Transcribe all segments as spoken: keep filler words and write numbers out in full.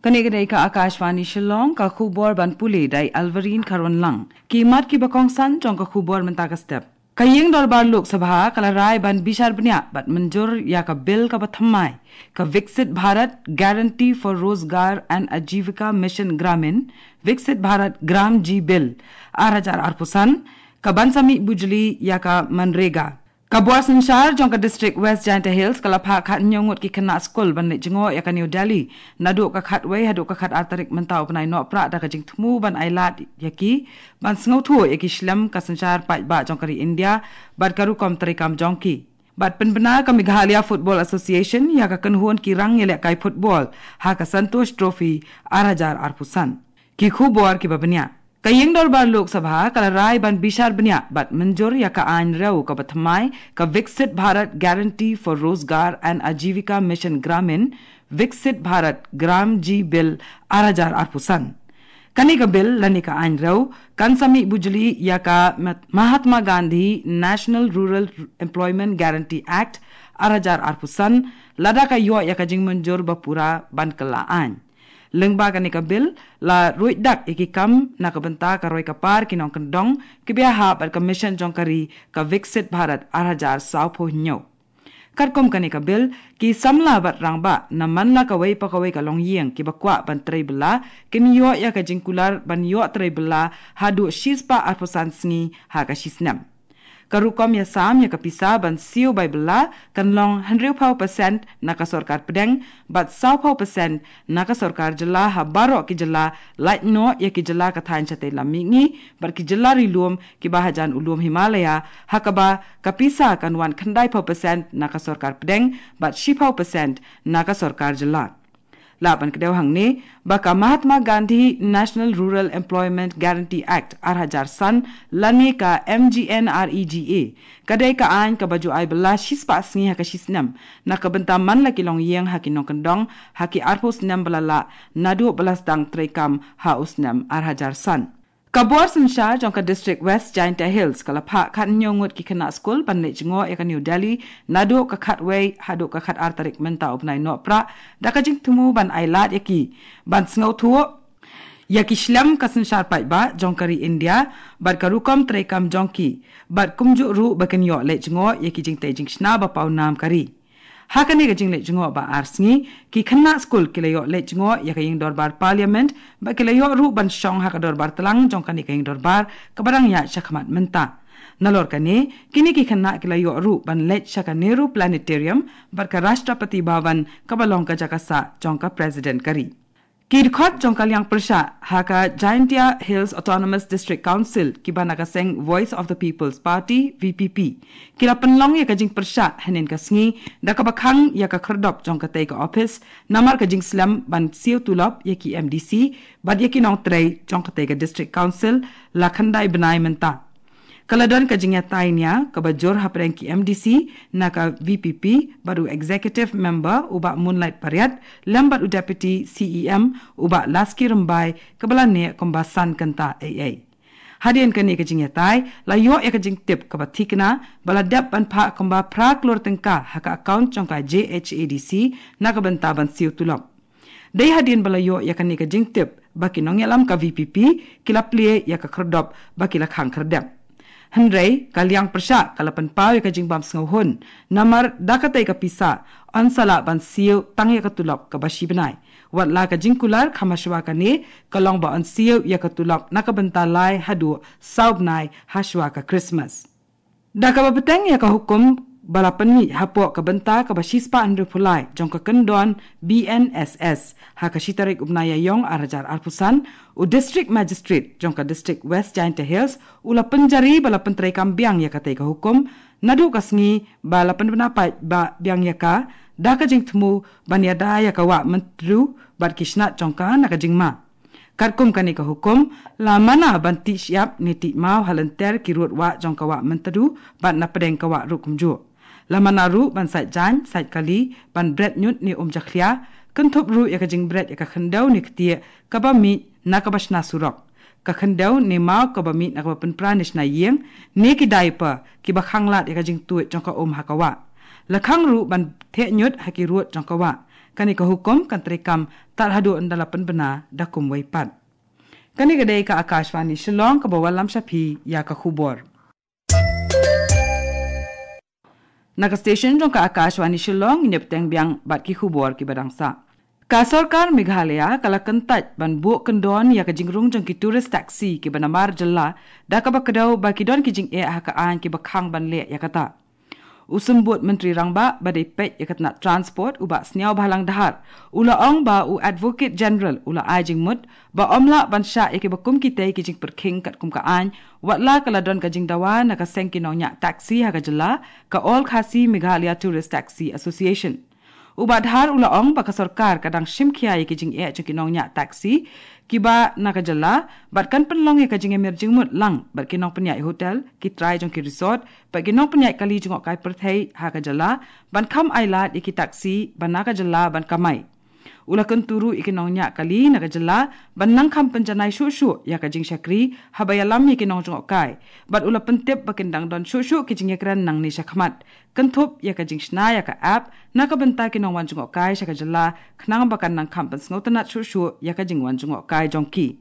Kane ka dei ka Akashvani Shillong, ka khubor ban pule da i Alvarine Kharwanlang. Ki mat kiba kongsan jong ka khubor mynta ka step. Ka ïing dorbar Lok Sabha ka la rai ban bishar bniah bad mynjur ïa ka bill kaba thymmai, ka Viksit Bharat Guarantee for Rozgar and Ajivika Mission Gramin, Viksit Bharat Gram G Bill, ar hajar arphew san, ka ban sa mih bujli ïa ka MGNREGA. Ka bor synshar jong ka District West Jaintia Hills ka la phah khathynñiew ngut ki khynnah skul ban leit jngoh ïa ka New Delhi naduh ka khatwei haduh ka khatar tarik mynta u bnai Nohprah da ka jingthmu ban ailad ïa ki ban sngewthuh ïa ki shlem ka synshar paidbah jong ka ri India bad ka rukom treikam jong ki. Bad pynbna ka Meghalaya Football Association ïa ka kynhun ki rangïalehkai football ha ka Santosh Trophy ar hajar arphew san. Ki khubor kiba bniah. Ka ïing dorbar Lok Sabha ka la rai ban bishar bniah bad mynjur ïa ka aiñ rew kaba thymmai, ka Viksit Bharat Guarantee for Rozgar and Ajivika Mission Gramin, Viksit Bharat Gram G Bill ar hajar arphew san. Kane ka bill lane ka aiñ rew kan sa mih bujli ïa ka Mat-, Mahatma Gandhi National Rural Employment Guarantee Act ar hajar arphew san, lada ka ïoh ïa ka jingmynjur ba pura ban kylla aiñ. Lyngba kane ka bill la ruid dak ïa ki kam na ka bynta ka roi ka par ki nongkyndong kiba ïahap bad ka mission jong ka ri, ka Viksit Bharat ar hajar sawphew hynñiew. Katkum kane ka bill, ki samla bad rangbah na man la kawei pa kawei ka longïing kiba kwah ban trei bylla kin ïoh ïa ka jingkular ban ïoh trei bylla haduh shispah arphew san sngi ha ka shisnem. Ka rukom ïasam ïa ka pisa ban siew bai bylla kan long hynriewphew percent na ka sorkar pdeng bad sawphew percent na ka sorkar jylla ha baroh ki jylla, lait noh ïa ki jylla ka thaiñ shatei lam mihngi bad ki jylla ri lum kiba hajan u lum Himalaya, ha kaba ka pisa kan wan khyndaiphew percent na ka sorkar pdeng bad shiphew percent na ka sorkar jylla. Lah ban kdew hangne ba ka Mahatma Gandhi National Rural Employment Guarantee Act ar hajar san lane ka MGNREGA ka dei ka aiñ kaba ju ai bylla shispah sngi ha ka shisnem na ka bynta man la ki longïing ha ki nongkyndong ha ki arphew snem ba la lah naduh ba la sdang treikam ha u snem ar hajar san. Ka bor synshar jong ka District West Jaintia Hills ka la phah khathynñiew ngut ki khynnah skul ban leit jngoh ïa ka New Delhi naduh ka khatwei haduh ka khatar tarik mynta u bnai Nohprah da ka jingthmu ban ailad ïa ki ban sngewthuh ïa ki shlem ka synshar paidbah jong ka ri India bad ka rukom treikam jong ki bad kumjuh ruh ba kin ïoh leit jngoh ïa ki jingtei jingshna ba pawnam ka ri. Ha kane ka jingleit jngoh ba ar sngi, ki khynnah skul ki la ïoh leit jngoh ïa ka ïing dorbar Parliament bad ki la ïoh ruh ban shong ha ka dorbar tlang jong kane ka ïing dorbar kaba dang ïaid shakhmat mynta. Nalor kane, kine ki khynnah ki la ïoh ruh ban leit sha ka Nehru Planetarium bad ka Rashtrapati Bhavan kaba long ka jaka sah jong ka President ka ri. Ki dkhot jong ka liang pyrshah ha ka Jaintia Hills Autonomous District Council kiba na ka seng Voice of the People's Party, VPP, ki la pynlong ïa ka jingpyrshah hynnin ka sngi da kaba khang ïa ka khyrdop jong katei ka ophis namar ka jingslem ban siew tulop ïa ki MDC bad ïa ki nongtrei jong katei ka District Council la khyndai bnai mynta. Ka la don ka jingïatai nia kaba jur hapdeng ki MDC na ka VPP bad u Executive Member u Bah Moonlight Pariat lem bad u Deputy CEM u Bah Laski Rymbai kaba la neh kumba san kynta eiei. Hadien kane ka jingïatai la ïoh ïa ka jingtip kaba thikna ba la dep ban phah kumba phra klur tyngka ha ka account jong ka JHADC na ka bynta ban siew tulop. Dei hadien ba la ïoh ïa kane ka jingtip ba ki nongïalam ka VPP ki la plie ïa ka khyrdop ba ki la khang khyrdep. Hynrei ka liang pyrshah ka la pynpaw ïa ka jingbam sngewhun namar da katei ka pisa yn sa lah ban siew tang ïa ka tulop kaba shi bnai. Wat la ka jingkular kham hashwa kane ka long ba yn siew ïa ka tulop na ka bynta lai haduh saw bnai hashwa ka Christmas. Da kaba bteng ïa ka hukum ba la pynmih hapoh ka bynta kaba shispah hynriewphew lai jong ka kyndon BNSS ha ka shi tarik u bnai Ïaïong ar hajar arphew san, u District Magistrate jong ka District West Jaintia Hills u la pynjari ba la pyntreikam biang ïa katei ka hukum naduh ka sngi ba la pynbna paidbah biang ïa ka da ka jingthmu ban ïada ïa ka wah Myntdu bad ki snat jong ka na ka jingma. Katkum kane ka hukum, la mana ban tih shyiap ne tih maw ha lynter ki rud wah jong ka wah Myntdu bad na pdeng ka wah ruh kumjuh. La mana ruh ban sait jaiñ, sait kali, ban bret ñiut ne um jakhlia, kynthup ruh ïa ka jingbret ïa ka khyndew ne ktieh kaba mih na kaba shna surok, ka khyndew ne maw kaba mih na kaba pynpra ne shna ïing, ne ki diaper kiba khang lad ïa ka jingtuid jong ka um ha ka wah. La khang ruh ban theh ñiut ha ki rud jong ka wah. Kane ka hukum kan treikam tad haduh ynda la pynbna da kumwei pat. Kane ka dei ka Akashvani Shillong kaba wallam sha phi ïa ka khubor. Na ka station jong ka Akashvani Shillong, ngin ïa bteng biang bad ki khubor kiba dang sah. Ka sorkar Meghalaya ka la kyntait ban buh kyndon ïa ka jingrung jong ki tourist taxi kiba namar jylla, da kaba kdew ba ki don ki jingeh ha ka aiñ kiba khang ban leh ïa kata. U Symbud Myntri Rangbah ba dei peit ïa ka tnat transport, u Bah Sniawbhalang Dhar, u la ong ba u Advocate General u la ai jingmut ba ym lah ban shah ïa kiba kum kitei ki jingpyrkhing katkum ka aiñ, wat la ka la don ka jingdawa na ka seng ki nongñiah taxi ha ka jylla, ka All Khasi Meghalaya Tourist Taxi Association. U Bah Dhar u la ong ba ka sorkar ka dang shim khia ïa ki jingeh jong ki nongñiah taxi kiba na ka jylla, bad kan pynlong ïa ka jingïamir jingmut lang bad ki nongpynïaid hotel, ki trai jong ki resort, bad ki nongpynïaid kali jngohkai pyrthei ha ka jylla, ban kham ailad ïa ki taxi ba na ka jylla ban kamai. U la kyntu ruh ïa ki nongñiah kali na ka jylla ban nang kham pynjanai shuh shuh ïa ka jingshakri haba ïalam ïa ki nongjngohkai. Bad u la pyntip ba kin dang don shuh shuh ki jingïakren nangne shakhmat, kynthup ïa ka jingshna ïa ka app na ka bynta ki nongwan jngohkai sha ka jylla, khnang ba kan nang kham pynsngewtynnat shuh shuh ïa ka jingwan jngohkai jong ki.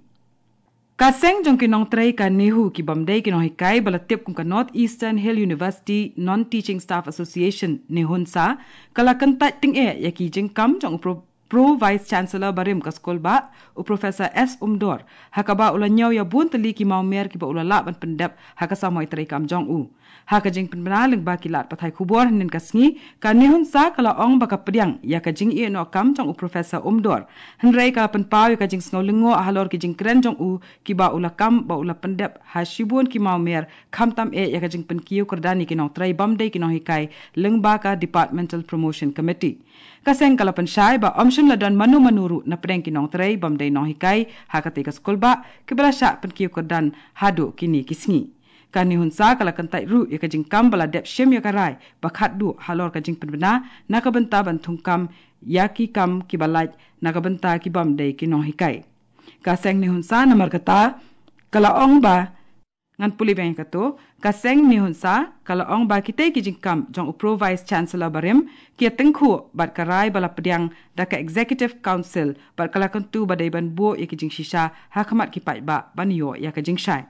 Ka seng jong ki nongtrei ka NEHU, ki bym dei ki nonghikai ba la tip kum ka North Eastern Hill University Non-Teaching Staff Association, NEHUNSA, ka la kyntait tyngeh ïa ki jingkam jong u Pro, Pro Vice Chancellor barim ka skul bah, u Professor S Umdor, ha kaba u la ñiew ïa bun tylli ki mawmer kiba u la lah ban pyndep ha ka samoi treikam jong u. Ha ka jingpynbna lyngba ki lad pathai khubor hynnin ka sngi, ka NEHUNSA ka la ong ba ka pdiang ïa ka jingïehnoh kam jong u Professor Umdor, hynrei ka la pynpaw ïa ka jingsngew lyngngoh halor ki jingkren jong u kiba u la kam ba u la pyndep ha shibun ki mawmer, khamtam eh ïa ka jingpynkiew kyrdan ïa ki nongtrei bym dei ki nonghikai lyngba ka Departmental Promotion Committee. Ka seng ka la pynshai ba ym shym la don mano mano ruh na pdeng ki nongtrei bym dei nonghikai ha katei ka skul bah kiba la shah pynkiew kyrdan haduh kine ki sngi. Ka NEHUNSA ka la kyntait ruh ïa ka jingkam ba la dep shim ïa ka rai ba khatduh halor ka jingpynbna na ka bynta ban thungkam ïa ki kam kiba lait na ka bynta ki bym dei ki nonghikai. Ka seng NEHUNSA namar kata ka la ong ba, ngan pule biang ïa kato, ka seng NEHUNSA ka la ong ba kitei ki jingkam jong u Pro Vice Chancellor barim ki ïa tyngkhuh bad ka rai ba la pdiang da ka Executive Council, bad ka la kyntu ba dei ban buh ïa ki jingshisha ha khmat ki paidbah ban ïoh ïa ka jingshai.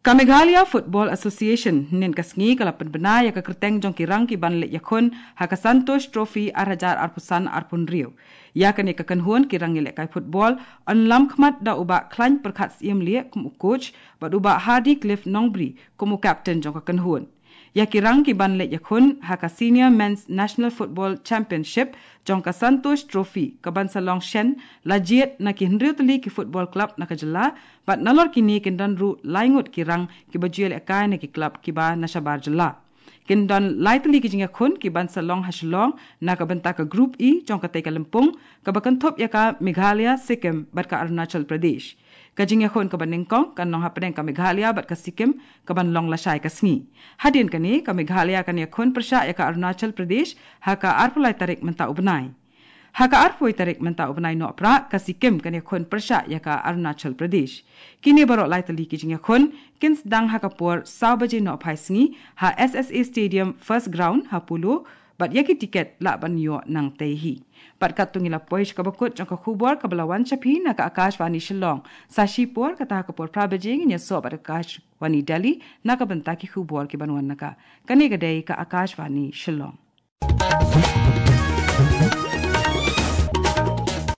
Ka Meghalaya Football Association hynnin ka sngi ka la pynbna ïa ka kyrteng jong ki rang ki ban leit ïakhun ha ka Santosh Trophy ar hajar arphew san arphew hynriew. Ïa kane ka kynhun ki rangïalehkai football yn lam khmat da u Bah Khlaiñ Pyrkhat Syiemlieh kum u coach, bad u Bah Hardy Cliff Nongbri kum u captain jong ka kynhun. Ïa ki rang ki ban leit ïakhun ha ka Senior Men's National Football Championship jong ka Santosh Trophy, ka ban sa long shen la jied na ki hynriew tylli ki football club na ka jylla, bad nalor kine kin don ruh lai ngut ki rang kiba ju ïalehkai na ki club kiba na shabar jylla. Kin don lai tylli ki jingïakhun ki ban sa long ha Shillong na ka bynta ka Group E jong katei ka lympung, kaba kynthup ïa ka Meghalaya, Sikkim bad ka Arunachal Pradesh. Ka jingïakhun kaba nyngkong kan long hapdeng ka Meghalaya bad ka Sikkim, ka ban long lashai ka sngi. Hadien kane, ka Meghalaya kan ïakhun pyrshah ïa ka Arunachal Pradesh ha ka arphew lai tarik mynta u bnai. Ha ka arphew tarik mynta u bnai Nohprah, ka Sikkim kan ïakhun pyrshah ïa ka Arunachal Pradesh. Kine baroh lai tylli ki jingïakhun kin sdang ha ka por saw baje nohphai sngi ha S S A Stadium First Ground ha Polo, bad ïa ki tiket lah ban ïoh nangtei hi. Bad katto ngi la poi sha kaba kut jong ka khubor kaba la wan sha phi na ka Akashvani Shillong. Sa shipor, kata ha ka por phra baje, ngin ïasoh bad ka Akashvani Delhi na ka bynta ki khubor ki ban wan na ka. Kane ka dei ka Akashvani Shillong.